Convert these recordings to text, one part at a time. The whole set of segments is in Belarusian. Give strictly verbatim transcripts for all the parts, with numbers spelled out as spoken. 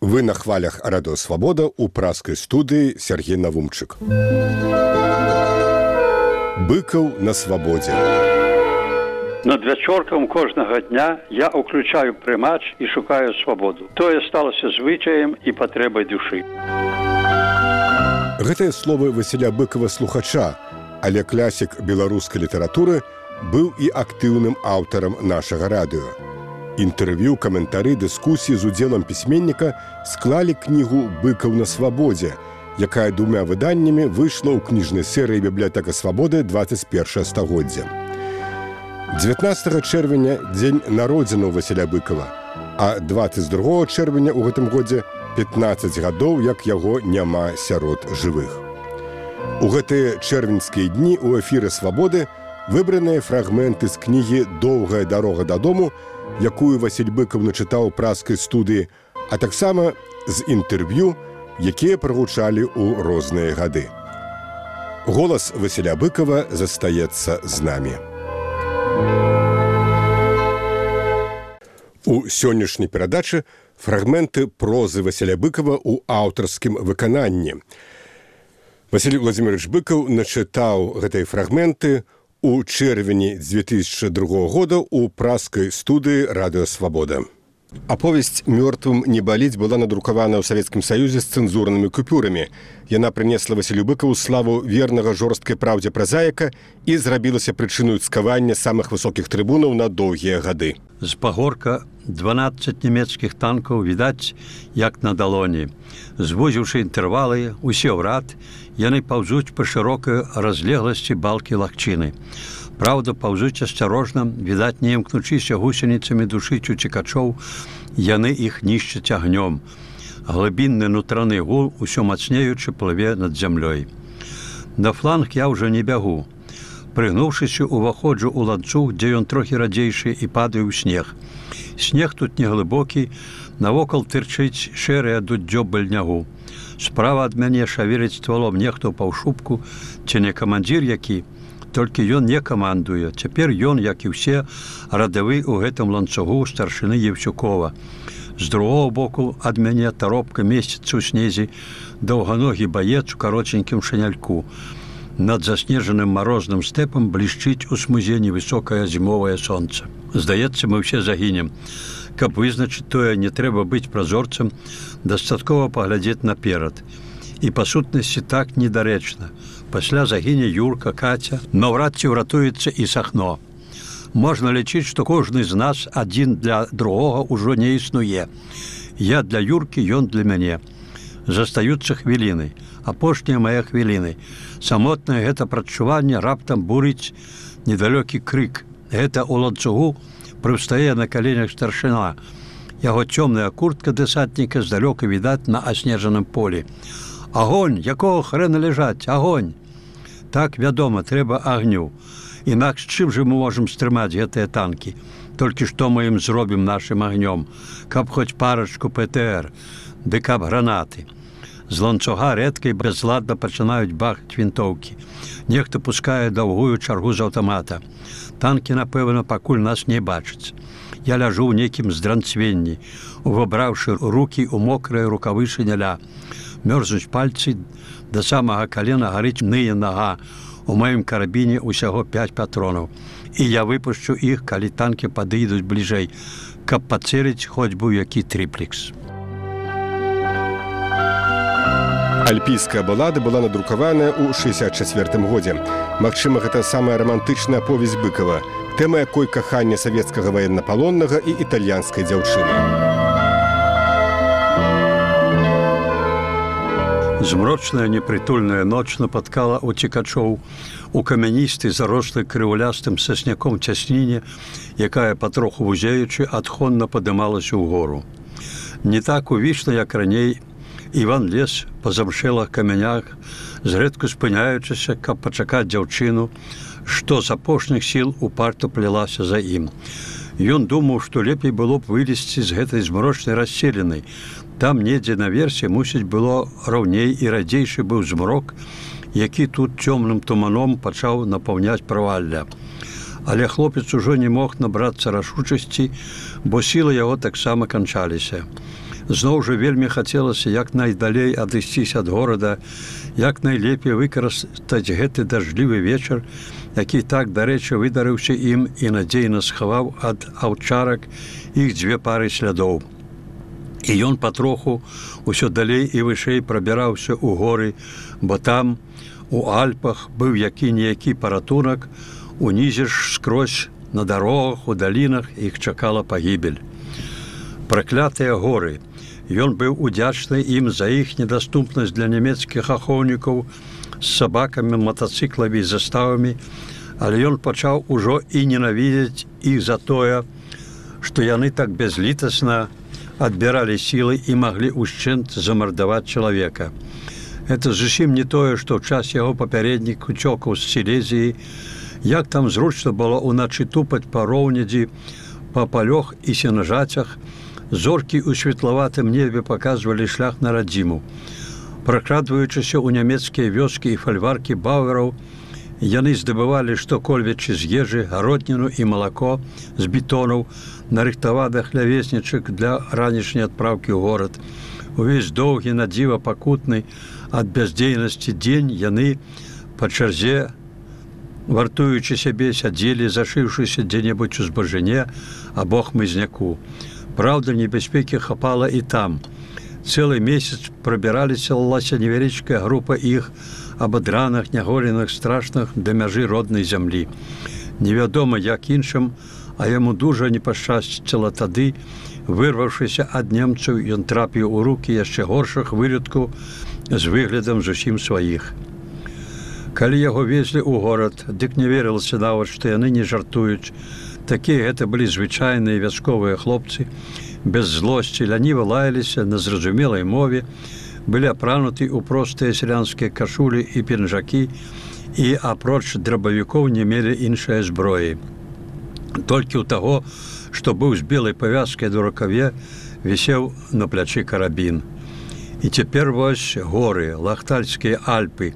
Вы на хвалях радыё «Свабода» у пражскай студыі Сергей Навумчык. Быкаў на свабодзе. Над вячоркам кожнага дня я ўключаю прымач і шукаю свабоду. Тое сталася звычаем і патрэбай душы. Гэтыя словы Васіля Быкава слухача, але класік беларускай літаратуры быў і актыўным аўтарам нашага радыё. Інтэрв'ю, каментары, дыскусіі з удзелам пісьменніка склалі кнігу «Быкаў на свабодзе», якая двумя выданнямі выйшла ў кніжнай серыі «Бібліятэка свабоды» дваццаць першае стагоддзя. дзевятнаццатага чэрвеня – дзень народзінаў Васіля Быкава, а дваццаць другога чэрвеня ў гэтым годзе пятнаццаць гадоў, як яго няма сярод жывых. У гэтыя чэрвеньскія дні ў эфіры «Свабоды» выбраныя фрагменты з кнігі «Доўгая дарога дадому», якую Васіль Быкаў начытаў у пражскай студыі, а таксама з інтэрв'ю, якія прагучалі ў розныя гады. Голас Васіля Быкава застаецца з намі. У сённяшняй перадачы фрагменты прозы Васіля Быкава ў аўтарскім выкананні. Васіль Владзімірович Быкаў начытаў гэтыя фрагменты у чэрвені дзве тысячы другога года у пражскай студыі радыё «Свабода». Аповесць «Мёртвым не баліць» была надрукавана ў Савецкім Саюзе з цэнзурнымі купюрамі. Яна прынесла Васілю Быкаву славу вернага жорсткай праўдзе празаіка і зрабілася прычыною цкавання самых высокіх трыбунаў на доўгія гады. З пагорка дванаццаць нямецкіх танкаў відаць, як на далоні. Звузіўшы інтэрвалы, усе ў рад, яны паўзуць па шырокай разлегласці балкі лагчыны. Праўда, паўзуць асцярожна, відаць, не імкнучыся гусеніцамі душыць уцекачоў, яны іх нішчаць агнём. Глыбінны нутраны гул, усё мацнеючы, плыве над зямлёй. На фланг я ўжо не бягу. Прыгнуўшыся, уваходжу ў ланцуг, дзе ён трохі радзейшы, і падаю ў снег. Снег тут неглыбокі, навокал тырчыць шэрае дудзё быльнягу. Справа ад мяне шавеліць ствалом нехто ў паўшубку, ці не камандзір які, толькі ён не камандуе. Цяпер ён, як і ўсе, радавы ў гэтым ланцугу старшыны Евсюкова. З другого боку ад мяне таропка месціцца ў снезе, даўганогі баец у кароценькім шаняльку. Над заснежаным марозным стэпам блішчыць у смузе невысокае зімовае сонца. Здаецца, мы ўсе загінем. Каб вызначыць тое, не трэба быць празорцам, дастаткова паглядзець наперад. І па сутнасці так недарэчна. Пасля загіне Юрка, Каця, наўрад ці ўратуецца і Сахно. Можна лічыць, што кожны з нас адзін для другога ўжо не існуе. Я для Юркі, ён для мяне. Застаюцца хвіліны, апошнія мае хвіліны. Самотнае гэта прадчуванне раптам бурыць недалёкі крык. Гэта ў ланцугу прыстае на каленях старшына. Яго цёмная куртка дэсантніка здалёка відаць на аснежаным полі. Агонь, якого хрэна ляжаць, агонь! Так, вядома, трэба агню. Інакш чым жа мы можам стрымаць гэтыя танкі? Толькі што мы ім зробім нашым агнём? Каб хоць парачку пэ тэ эр, ды каб гранаты. З ланцуга рэдка і бязладна пачынаюць бахаць вінтоўкі. Нехта пускае даўгую чаргу з аўтамата. Танкі, напэўна, пакуль нас не бачаць. Я ляжу ў нейкім здранцвенні, увабраўшы рукі ў мокрае рукавы шыняля. Мёрзнуць пальцы, да самага калена гарыць ные нага. У маім карабіне ўсяго пяць патронаў. І я выпушчу іх, калі танкі падыйдуць бліжэй, каб пацэліць хоць бы ў які трыплекс. Альпійская балада была надрукаваная ў шэсцьдзесят чацвёртым годзе. Магчыма, гэта самая рамантычная аповесць Быкава, тэма якой кахання савецкага ваеннапалоннага і італьянскай дзяўчыны. Змрочная непрытульная ноч напаткала уцекачоў у камяністай зарослай крыўлястым сасняком цясніне, якая, патроху вузеючы, адхонна падымалася ўгору. Не так увічна, як раней, Іван лез па замшэлых камянях, зрэдку спыняючыся, каб пачакаць дзяўчыну, што з апошніх сіл упарта плялася за ім. Ён думаў, што лепей было б вылезці з гэтай змрочнай расселенай. Там недзе наверсе, мусіць, было раўней і радзейшы быў змрок, які тут цёмным туманом пачаў напаўняць правалля. Але хлопец ужо не мог набрацца рашучасці, бо сілы яго таксама канчаліся. Зноў жа вельмі хацелася як найдалей адысціся ад горада, як найлепей выкарыстаць гэты дажджлівы вечар, які так, дарэчы, выдарыўся ім і надзейна схаваў ад аўчарак іх дзве пары слядоў. І ён патроху ўсё далей і вышэй прабіраўся ў горы, бо там, у Альпах, быў які-ніякі паратунак, унізе ж скрозь на дарогах, у далінах іх чакала пагібель. Праклятыя горы. Ён быў удзячны ім за іх недаступнасць для нямецкіх ахоўнікаў з сабакамі, матацыкламі і заставамі, але ён пачаў ужо і ненавідзець іх за тое, што яны так бязлітасна адбіралі сілы і маглі ўшчэнт замардаваць чалавека. Это зусім не тое, што ў час яго папярэднік уцёкаў з Сілезіі, як там зручна было ўначы тупаць па роўнядзі, па палёх і сенажацях, зоркі ў светлаватым небе паказвалі шлях на радзіму. Пракрадваючыся ў нямецкія вёскі і фальваркі баўераў, яны здабывалі што-кольвечы з ежы, гародніну і малако з бетонаў, нарыхтаваных лявеснічак для ранішняй адпраўкі ў горад. Увесь доўгі, надзіва пакутны ад бяздзейнасці дзень яны па чарзе, вартуючы сябе, сядзелі, зашыўшыся дзе-небудзь у збажыне або хмызняку. Праўда, небяспекі хапала і там. Цэлы месяц прабіраліся лася невялічкая група іх, абадраных, няголеных, страшных да мяжы роднай зямлі. Невядома, як іншым, а яму дужа не пашчасціла тады, вырваўшыся ад немцаў, ён трапіў у рукі яшчэ горшых вылюдкаў з выглядам зусім сваіх. Калі яго везлі ў горад, дык не верылася нават, што яны не жартуюць. Такія гэта былі звычайныя вясковыя хлопцы, без злосці, ляніва лаяліся на зразумелай мове, былі апрануты ў простыя сялянскія кашулі і пінжакі і, апроч драбавікоў, не мелі іншай зброі. Толькі ў таго, што быў з белай павязкай на рукаве, вісеў на плячы карабін. І цяпер вось горы, Лахтальскія Альпы,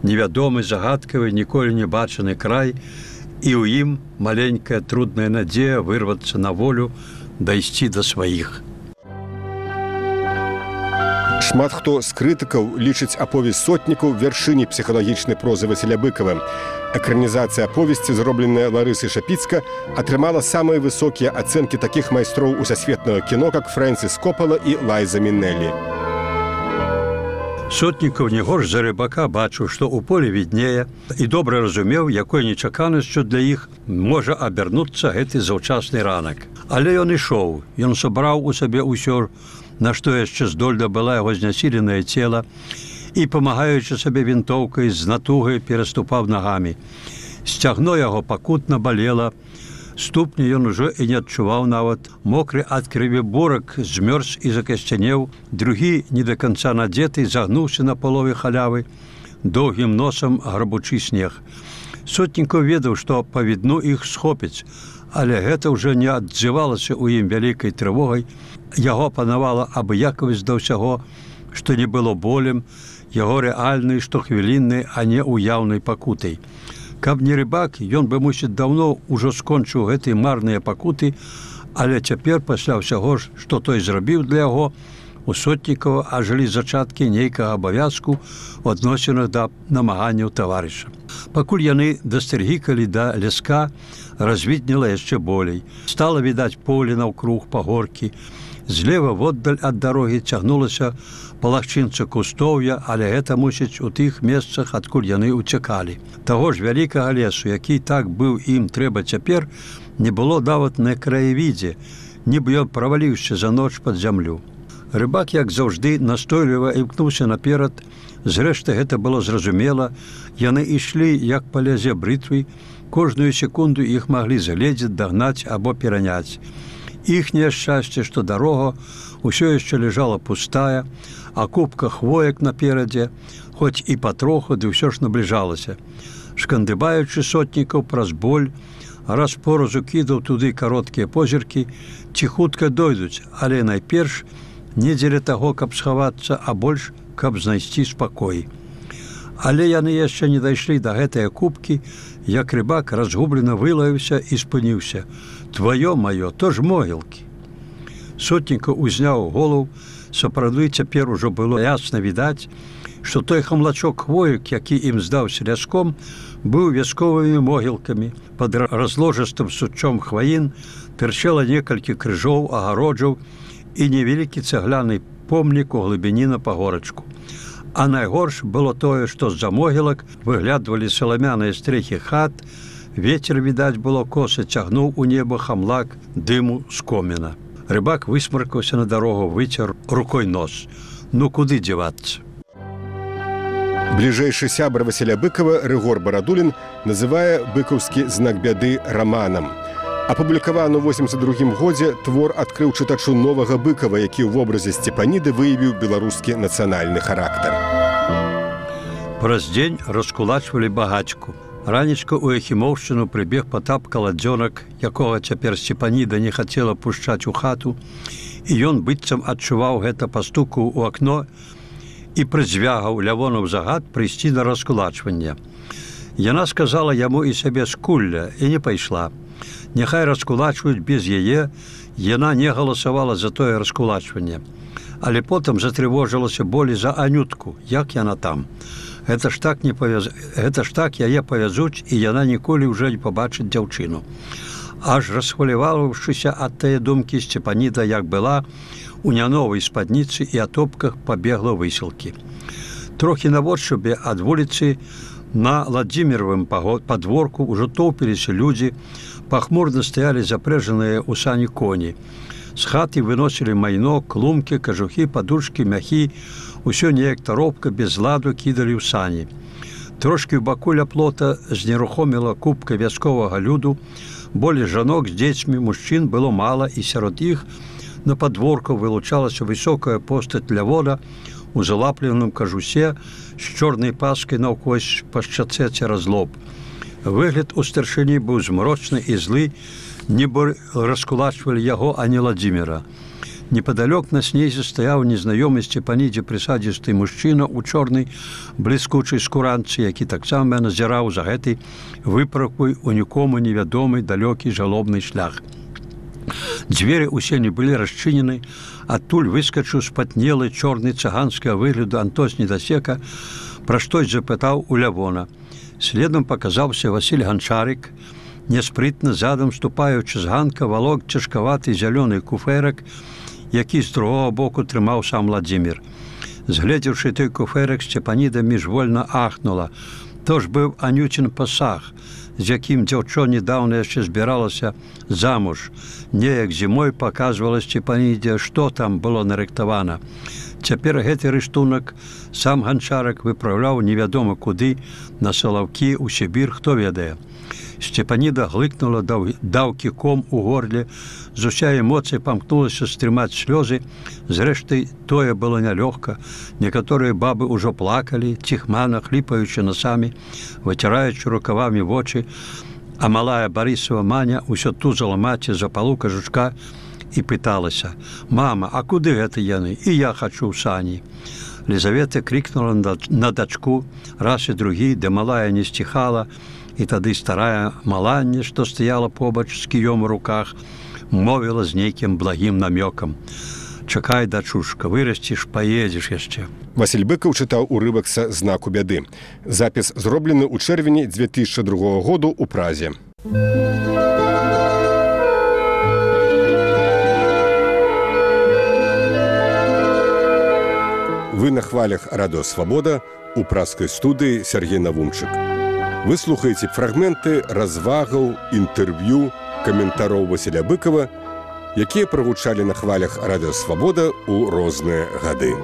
невядомы, загадкавы, ніколі не бачаны край, і ў ім маленькая трудная надзея вырвацца на волю, дайсці да сваіх. Шмат хто з крытыкаў лічыць аповесць сотнікаў вяршыні псіхалагічнай прозы Васіля Быкава. Экранізацыя аповесці, зробленая Ларысай Шапіцка, атрымала самыя высокія ацэнкі такіх майстроў усасветнага кіно, як Фрэнсіс Копала і Лайза Мінелі. Сотнікаў не горш за Рыбака бачыў, што ў полі віднее, і добра разумеў, якой нечаканасцю для іх можа абярнуцца гэты заўчасны ранак. Але ён ішоў, ён сабраў у сабе ўсё, на што яшчэ здольна была яго знясіленае цела, і, памагаючы сабе вінтоўкай, з натугай пераступаў нагамі. Сцягно яго пакутна балела, ступні ён ужо і не адчуваў нават. Мокры ад крыві бурак змёрз і закасцянеў, другі, не да канца надзеты, загнуўся на палове халявы, доўгім носам грабучы снег. Сотнікаў ведаў, што па відну іх схопіць, але гэта ўжо не адзывалася ў ім вялікай трывогай. Яго панавала абыякавасць да ўсяго, што не было болем, яго рэальнай, штохвіліннай, а не уяўнай пакутай. Каб не Рыбак, ён бы, мусіць, даўно ўжо скончыў гэтыя марныя пакуты, але цяпер, пасля ўсяго ж, што той зрабіў для яго, у Сотнікава ажылі зачаткі нейкага абавязку ў адносінах да намаганняў таварыша. Пакуль яны дастэргікалі да ляска, развіднела яшчэ болей. Стала відаць поле наўкруг, пагоркі. Злева воддаль ад дарогі цягнулася палахчынца кустоўя, але гэта, мусіць, у тых месцах, адкуль яны ўцякалі. Таго ж вялікага лесу, які так быў ім трэба цяпер, не было нават на краявідзе, нібы ён праваліўся за ноч пад зямлю. Рыбак, як заўжды, настойліва імкнуўся наперад. Зрэшты, гэта было зразумела. Яны ішлі, як па лязе брытвы. Кожную секунду іх маглі загледзець, дагнаць або пераняць. Іхняе шчасце, што дарога ўсё яшчэ ляжала пустая, а купка хвоек наперадзе, хоць і патроху, ды ўсё ж набліжалася. Шкандыбаючы Сотнікаў праз боль, раз поразу кідаў туды кароткія позіркі, ці хутка дойдуць, але найперш не дзеля таго, каб схавацца, а больш, каб знайсці спакой. Але яны яшчэ не дайшлі да гэтае купкі, як Рыбак разгублена вылаяўся і спыніўся. «Твоё маё, то ж могілкі». Сотніка узняў голаў, сапраўды цяпер ужо было ясна відаць, што той хамлачок хвоек, які ім здаўся ляском, быў вясковымі могілкамі. Пад разложыстым сучом хваін тырчэла некалькі крыжоў, агароджаў і невялікі цагляны помнік у глыбіні на пагорачку. А найгорш было тое, што з-за могілак выглядвалі саламяныя стрэхі хат, вецер, відаць, было коса, цягнуў у неба хамлак дыму з коміна. Рыбак высмаркаўся на дарогу, выцер рукой нос. Ну куды дзявацца? Бліжэйшы сябар Васіля Быкава Рыгор Барадулін называе быкаўскі знак бяды раманам. Апублікаваны ў восемьдесят другім годзе твор адкрыў чытачу новага Быкава, які ў вобразе Сцепаніды выявіў беларускі нацыянальны характар. Праз дзень раскулачвалі багацьку. Ранечка ў Яхімоўшчыну прыбег Патап Каладзёнак, якога цяпер Сцепаніда не хацела пушчаць у хату, і ён быццам адчуваў гэта па стуку ў акно і прызвягаў Лявонаў загад прыйсці на раскулачванне. Яна сказала яму і сабе скулля і не пайшла. Няхай раскулачваюць без яе, яна не галасавала за тое раскулачванне. Але потым затрывожылася болей за Анютку, як яна там. Гэта ж так, не павяз... Гэта ж так яе павязуць, і яна ніколі ўжо не пабачыць дзяўчыну. Аж расхваляваўшыся ад тае думкі, Сцепаніда, як была, у няновай спадніцы і атопках пабегла высілкі. Трохі наводшыбе ад вуліцы на Ладзіміровым падворку ўжо тоўпіліся людзі, пахмурна стаялі запрэжаныя ў сані коні. З хаты выносілі майно, клумкі, кажухі, падушкі, мяхі, усё неяк таропка без ладу кідалі ў сані. Трошкі ў баку ля плота знерухоміла купка вясковага люду, болей жанок з дзецьмі, мужчын было мала, і сярод іх на падворку вылучалася высокая постаць Лявона у залапленым кажусе з чорнай паскай наўкось па шчацэ цераз лоб. Выгляд у старшыні быў змрочны і злы, нібы раскулачвалі яго, а не Ладзіміра. Непадалёк на снезе стаяў незнаёмы Сцепанідзе прысадзісты мужчына ў чорнай бліскучай скуранцы, які таксама назіраў за гэтай выправкай у нікому невядомы далёкі жалобны шлях. Дзверы ўсе не былі расчынены, адтуль выскачыў спатнелы чорны цыганскага выгляду Антос Недасека, пра штось запытаў у Лявона. Следам паказаўся Васіль Ганчарык, няспрытна задам ступаючы з ганка валок цяжкаваты зялёны куфэрак, які з другога боку трымаў сам Ладзімір. Згледзеўшы той куфэрак, Сцепаніда міжвольна ахнула. То ж быў Анюцін пасаг, з якім дзяўчо недаўна яшчэ збіралася замуж. Неяк зімой паказвала Сцепанідзе, што там было нарыхтавана. Цяпер гэты рыштунак сам Ганчарак выпраўляў невядома куды, на Салаўкі, у Сібір, хто ведае. Сцепаніда глыкнула, даў кіком у горле, з уся эмоцый памкнулася стрымаць слёзы. Зрэшты, тое было нялёгка. Некаторыя бабы ўжо плакалі, ціхмана, хліпаючы насамі, выціраючы рукавамі вочы, а малая Барысава Маня ўсё тузала маці за палу кажучка і пыталася: «Мама, а куды гэта яны? І я хачу ў сані». Лізавета крикнула на дачку раз і другі, де малая не сціхала, і тады старая Маланне, што стаяла побач з кіём у руках, мовіла з нейкім благім намёкам: «Чакай, дачушка, вырасціш, паедзеш яшчэ». Васіль Быкаў чытаў урывак са знаку бяды. Запіс зроблены ў чэрвені дзве тысячы другога году ў Празе. Вы на хвалях Радыё Свабода, у празскай студыі Сергей Навумчык. Вы слухаеце фрагменты развагаў, інтэрв'ю, каментароў Васіля Быкава, якія прагучалі на хвалях Радыё Свабода ў розныя гады.